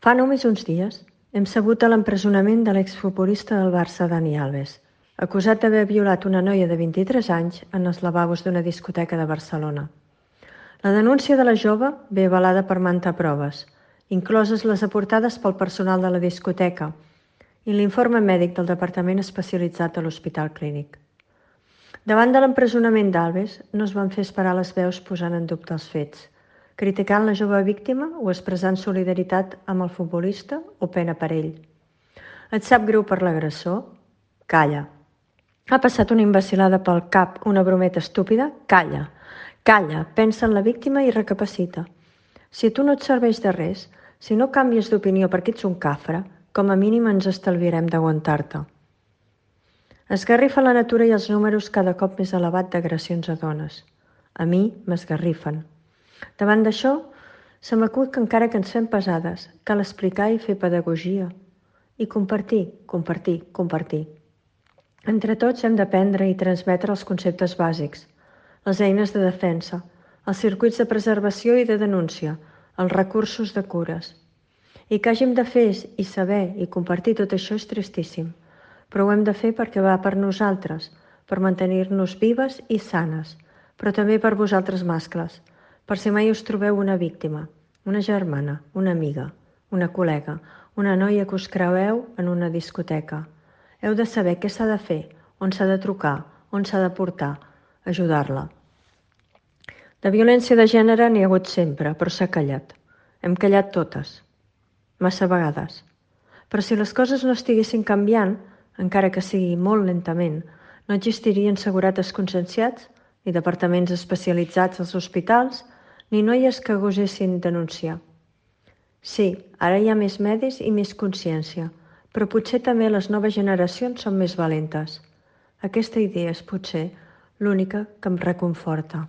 Fa només uns dies hem sabut de l'empresonament de l'exfutbolista del Barça Dani Alves, acusat d'haver violat una noia de 23 anys en els lavabos d'una discoteca de Barcelona. La denúncia de la jove ve avalada per mantes proves, incloses les aportades pel personal de la discoteca i l'informe mèdic del Departament Especialitzat de l'Hospital Clínic. Davant de l'empresonament d'Alves, no es van fer esperar les veus posant en dubte els fets, criticant la jove víctima o expressant solidaritat amb el futbolista o pena per ell. Et sap greu per l'agressor? Calla. Ha passat una imbecil·lada pel cap, una brometa estúpida? Calla. Calla, pensa en la víctima i recapacita. Si tu no et serveix de res, si no canvies d'opinió perquè ets un cafre, com a mínim ens estalviarem d'aguantar-te. Esgarrifa la natura i els números cada cop més elevat d'agressions a dones. A mi m'esgarrifen. Davant d'això, se m'acut que encara que ens fem pesades, cal explicar i fer pedagogia. I compartir. Entre tots hem d'aprendre i transmetre els conceptes bàsics, les eines de defensa, els circuits de preservació i de denúncia, els recursos de cures. I que hàgim de fer i saber i compartir tot això és tristíssim, però ho hem de fer perquè va per nosaltres, per mantenir-nos vives i sanes, però també per vosaltres mascles, per si mai us trobeu una víctima, una germana, una amiga, una col·lega, una noia que us creueu en una discoteca. Heu de saber què s'ha de fer, on s'ha de trucar, on s'ha de portar, ajudar-la. De violència de gènere n'hi ha hagut sempre, però s'ha callat. Hem callat totes, massa vegades. Però si les coses no estiguessin canviant, encara que sigui molt lentament, no existirien segurates conscienciats, ni departaments especialitzats als hospitals, ni noies que gosessin denunciar. Sí, ara hi ha més medis i més consciència, però potser també les noves generacions són més valentes. Aquesta idea és potser l'única que em reconforta.